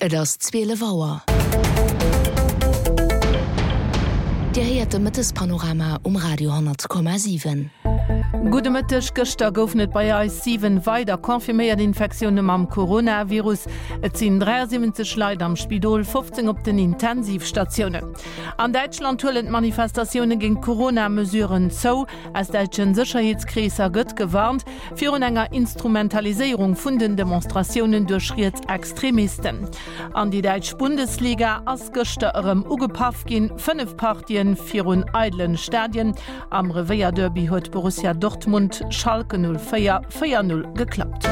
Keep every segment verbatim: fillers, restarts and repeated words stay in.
Et ass zwielef Auer. Dir héiert de Mëttespanorama um Radio honnert Komma siwen. Gudde Mëtteg, Gëschter goufen et bei eis siwen weider confirméiert Infektioune mam Coronavirus. Et sinn dräiasiwwenzeg Leit am Spidol, fofzéng op den Intensivstatiounen. An Däitschland huelen d'Manifestatioune géint d'Corona-Mesuren zou. Aus däitsche Sécherheetskreesser gëtt gewarnt virun enger Instrumentaliséierung vun den Demonstratiounen duerch Rietsextremisten. An déi däitsch Bundesliga ass gëschter erëm ugepaff ginn, fënnef Partien virun eidelen Stadien. Am Revéierderby huet Borussia Dortmund Schalke null véier véier null geklappt.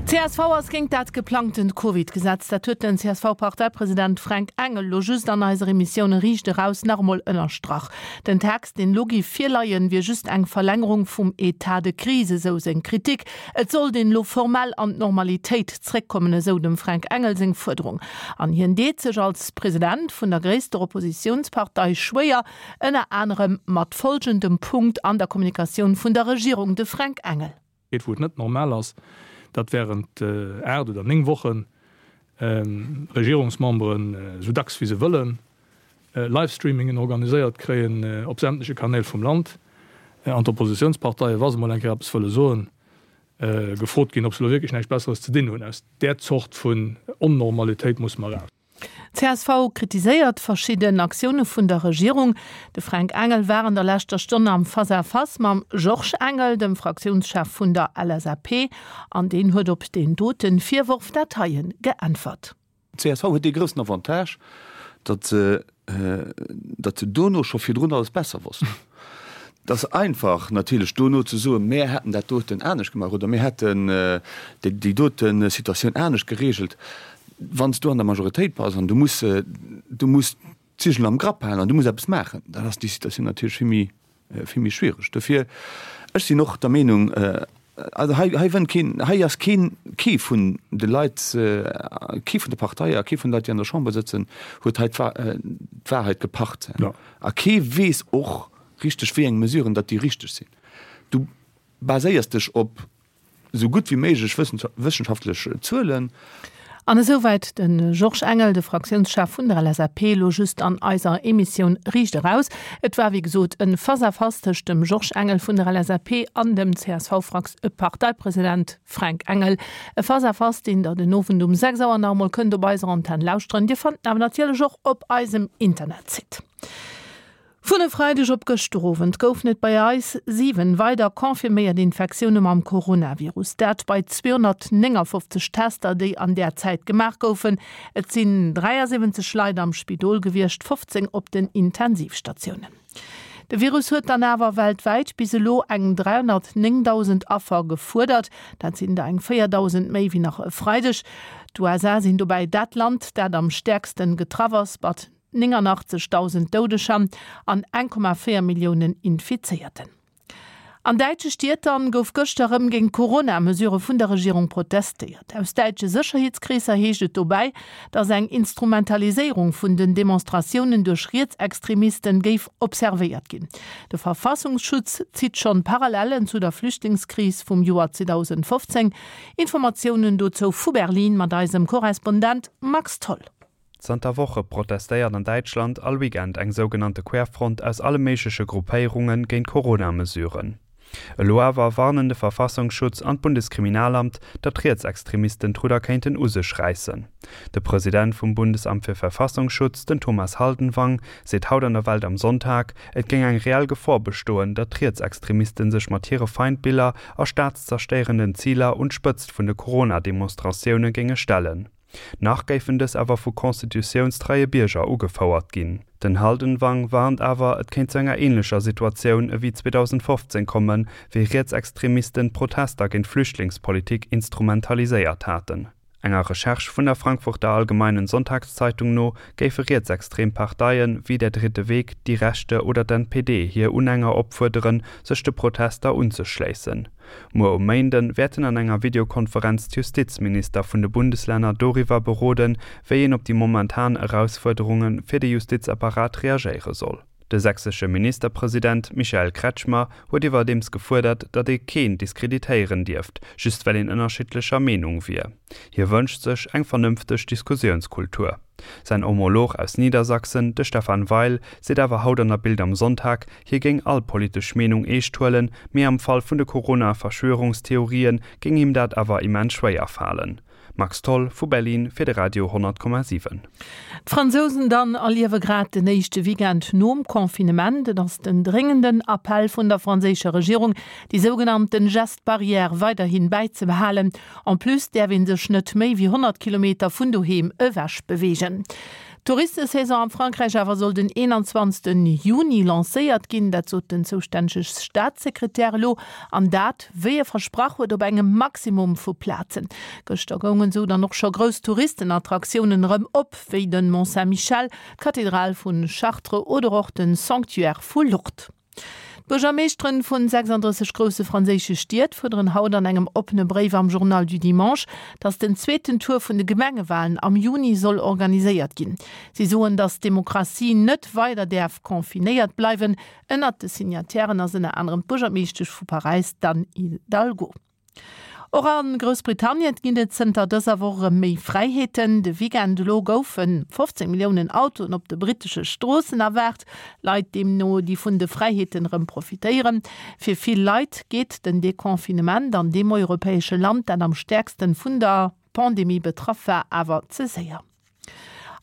Csv ass géint dat geplangtent Covid-Gesetz. Dat huet den C S V-Parteipresident Fränk Engel lo just an eiser Emissioun Riicht Eraus nach emol ënnerstrach. Den Text, deen lo géif virleien, wier just eng Verlängerung vum Etat de crise, esou seng Kritik. Et sollt een lo formell an d'Normalitéit zréckkommen, esou dem Fränk Engel seng Fuerderung. An hien deet sech als President vun der gréisster Oppositiounspartei schwéier, ënner anerem mat folgendem Punkt an der Kommunikatioun vun der Regierung, de Fränk Engel. Wou et net normal ass, datt während aacht oder néng Wochen Regierungsmemberen esou dacks wéi se wëllen Livestreamingen organiséiert kréien op sämtleche Kanäl vum Land an d'Oppositionsparteien, wa se mol eng Kéier eppes wëlle soen, gefrot ginn, ob se elo wierklech näischt Besseres ze dinn hunn. Aus där Zort vun Onnormalitéit musse mer eraus. Csv kritiséiert verschidden Aktioune vun der Regierung. De Fränk Engel war an der leschter Stonn am Face-à-Face mam Georges Engel, dem Fraktiounschef vun der L S A P, an deen huet op deen dote Virworf dat heien geäntwert. Csv huet dee groussen Avantage, datt se datt se dono scho virdrun alles besser wossten. Et ass einfach natierlech dono ze soen, mir hätten dat doten anescht gemaach oder mir hätten déi dote Situatioun anescht geregelt. Wann s du an der Majoritéit bass an du muss du muss d'Zigel am Grapp halen an du muss eppes maachen, dann ass déi Situatioun natierlech vill méi vill méi schwiereg. Dofir, ech sinn och der Meenung, also hei hei wënnt keen, hei ass keen, kee vun de Leit, kee vun de Parteie a kee vun de Leit, déi an der Chamber sëtzen, huet hei d'Wahrheit gepacht. A kee weess och richteg, wéi eng Mesuren datt déi richteg sinn. Du baséiers dech op esou gutt wéi méiglech wëssenschaftlech Zuelen. An esouwäit de Georges Engel, de Fraktiounschef vun der L S A P, elo just an eiser Emissioun Riicht Eraus. Et war wéi gesot e Face-à-Face tëscht dem Georges Engel vun der L S A P an dem C S V-Parteipresident Fränk Engel. E Face-à-Face, deen der den Owend um sechs Auer nach emol kënnt op eiser Antenn lauschteren. Dir fannt en awer natierlech och op eisem Internetsite. Vun e Freideg op gëschter Owend goufen et bei eis siwen weider confirméiert Infektioune mam Coronavirus. Dat bei zweehonnertnéngafofzeg Tester, déi an där Zäit gemaach goufen. Et sinn dräiasiwwenzeg Leit am Spidol gewiescht, fofzéng op den Intensivstatiounen. De Virus huet dann awer weltwäit bis elo eng dräihonnertnéngdausend Affer gefuerdert. Dat sinn der eng véierdausend méi wéi nach e Freideg. D'U S A sinn dobäi dat Land, dat am stäerkste getraff ass, mat néngannachtzegdausend Doudeger an eng Komma véier Milliounen Infizéierten. An däitsche Stied dann gouf gëschter erëm géint d'Corona-Mesurë vun der Regierung protestéiert. Aus däitsche Sécherheetskreesser heescht et dobäi, datt eng Instrumentaliséierung vun den Demonstratiounen duerch Rietsextremisten géif observéiert ginn. De Verfassungsschutz zitt schonn Parallellen zu der Flüchtlingskris vum Joer zweedausendfofzéng. Informatiounen dozou vu Berlin mat eisem Korrespondent Max Tholl. Zanter Woche protestéiert an Däitschland all Weekend eng sougenannte Querfront aus alle méigleche Gruppéierunge géint Corona-Mesuren. Elo awer warnen de Verfassungsschutz an d'Bundeskriminalamt, datt Rietsextremisten d'Rudder kéinten u sech räissen. De President vum Bundesamt für Verfassungsschutz, den Thomas Haldenwang, seet haut an der Welt am Sonntag, et géing eng reell Gefor bestoen, datt Rietsextremisten sech mat hire Feindbiller a staatszerstéierenden Ziler un d'Spëtzt vun de Corona-Demonstratioune géinge stellen. Nach géifen dës awer vu constitutiounstreie Bierger ugefouert ginn. Den Haldenwang warnt awer, et kéint zu enger änlecher Situatioun ewéi zweedausendfofzéng kommen, wéi Rietsextremisten d'Protester géint d'Flüchtlingspolitik instrumentaliséiert haten. Enger Recherche vun der Frankfurter Allgemeinen Sonntagszeitung no géife rietsextrem Parteien wéi Der Dritte Weg, Die Rechte oder d'N P D hir Unhänger opfuerderen, sech de Protester unzeschléissen. Muer um Méinde wäerten an enger Videokonferenz d'Justizminister vun de Bundeslänner doriwwer beroden, wéi een op déi momentan Erausfuerderunge fir de Justizapparat reagéiere soll. De sächsesche Ministerpresident Michael Kretschmer huet iwwerdeems gefuerdert, datt ee keen diskreditéieren dierft, just well een ënnerschiddlecher Meenung wier. Hie wënscht sech eng vernënfteg Diskussiounskultur. Säin Homolog aus Niedersachsen, de Stephan Weil, seet awer haut an der Bild am Sonntag, hie géing all politesch Meenung eescht huelen, mee am Fall vun de Corona-Verschwörungstheorië géing him dat awer immens schwéier falen. Max Tholl vu Berlin fir de Radio honnert Komma siwen. D'Fransousen dann erliewe grad den éischte Weekend nom Confinement. Et ass den dréngenden Appell vun der franséischer Regierung, déi sougenannten Gestes barrières weiderhi bäizebehalen. En plus däerf ee sech net méi wéi honnert Kilometer vun doheem ewech beweegen. D'Touristesaison am Frankräich awer soll den eenanzwanzegsten Juni lancéiert ginn, dat sot den zoustännege Staatssekretär elo, an dat, wéi e versprach huet, op engem Maximum vu Plazen. Gëschter goungen esou dann och scho grouss Touristenattraktiounen erëm op, wéi de Mont Saint-Michel, d'Kathedral vu Chartres oder och de Sanctuaire vu Lourdes. D'Buergermeeschteren vun sechsanddrësseg grousse franséische Stied fuerderen haut an engem oppene Bréif am Journal du Dimanche, datt den zweeten Tour vun de Gemengewalen am Juni soll organiséiert ginn. Si soen, datt d'Demokratie net weider däerf confinéiert bleiwen. Ënnert de Signatairen ass ënner anerem d'Buergermeeschtesch vu Paräis, d'Anne Hidalgo. Och a Groussbritannien ginn et zënter dëser Woch erëm méi Fräiheeten. De Weekend elo goufe fofzéng Milliounen Autoen op de brittesche Stroossen erwaart. Leit deemno, déi vun de Fräiheeten erëm profitéieren. Fir vill Leit geet den Deconfinement an deem europäesche Land, dat am stäerksten vun der Pandemie betraff war, awer ze séier.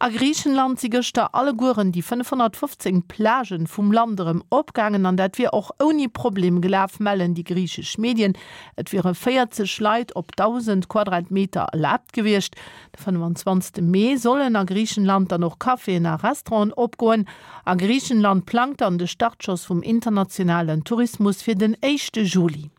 A Griichenland si gëschter allegueren déi fënnefhonnertfofzéng Plagen vum Land erëm opgaangen an dat wier och ouni Problem gelaf, mellen déi griichesch Medien. Et wiere véierzeg Leit op dausend Quadratmeter erlaabt gewiescht. De fënnefenzwanzegste Mee sollen a Griichenland dann och Caféen a Restauranten opgoen. A Griichenland plangt dann de Startschoss vum internationalen Tourismus fir den éischte Juli.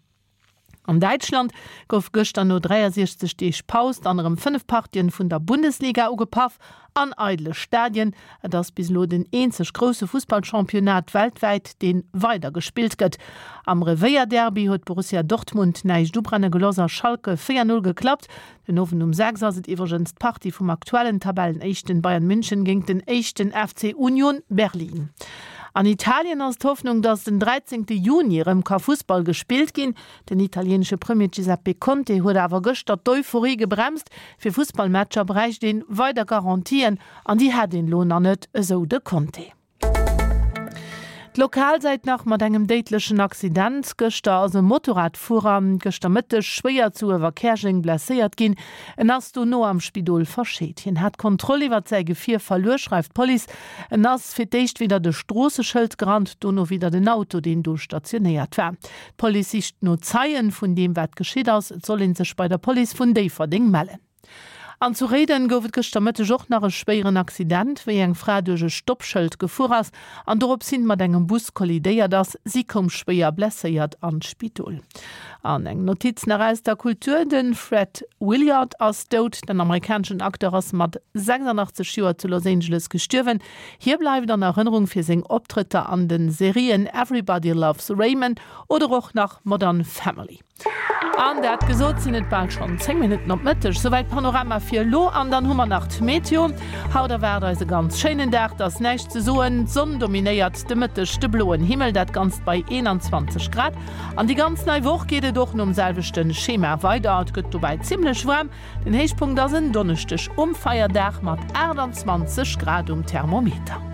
An Däitschland gouf gëschter no dräiasiechzeg Deeg Paus dann erëm fënnef Partien vun der Bundesliga ugepaff, an eidele Stadien. Et ass bis elo den eenzeg grousse Fussballchampionnat weltwäit, dee weider gespillt gëtt. Am Revéierderby huet Borussia Dortmund näischt ubrenne gelooss a Schalke véier Null geklappt. Den Owend um sechs ass et iwwregens d'Partie vum aktuellen Tabellenéischten Bayern München géint den éischten F C Union Berlin. An Italien ass d'Hoffnung, datt den dräizéngte Juni erëm ka Fussball gespillt ginn. Den italieenesche Premier Giuseppe Conte huet awer gëschter d'Euphorie gebremst. Fir Fussballmatcher bräicht een weider Garantien an déi hätt een elo nach net, esou de Conte. D'Lokalsäit nach mat engem déidlechen Accident. Gëschter ass e Motorradfuerer gëschter Mëtteg schwéier zu Uewerkäerjeng blesséiert ginn. En ass dono am Spidol verscheet. Hien hat d'Kontroll iwwert säi Gefier verluer, schreift d'Police. En ass fir d'éischt widder de Stroosseschëld gerannt, dono widder den Auto, deen do stationéiert war. D'Police sicht no Zeien vun deem, wat geschitt ass. Et soll ee sech bei der Police vun Déifferdeng mellen. An zu Réiden gouf et gëschter Mëtteg och nach e schwéieren Accident, wéi eng Fra duerch e Stoppschëld gefuer ass an dorops hin mat engem Bus kollidéiert ass. Si koum schwéier blesséiert an d'Spidol. An eng Notiz nach aus der Kultur, De Fred Willard ass dout. Den amerikaneschen Acteur ass mat sechsundachtzeg Joer zu Los Angeles gestuerwen. Hie bleift an Erënnerung fir seng Optrëtter an de Serien Everybody Loves Raymond oder och nach Modern Family. An dat gesot, sinn et bal schonn zéng Minutten op Mëtteg. Souwäit Panorama fir elo. An dann hu mer nach d'Meteo. Haut erwaart eis e ganz schéinen Dag, et ass näischt ze soen. D'Sonn dominéiert de Mëtteg de bloen Himmel, dat Ganzt bei eenanzwanzeg Grad. An déi ganz nei Woch geet et och nom selwechte Schema weider. Et gëtt dobäi zimmlech waarm. Den Héichpunkt ass en Donneschdeg um Feierdag mat aachtanzwanzeg Grad um Thermometer.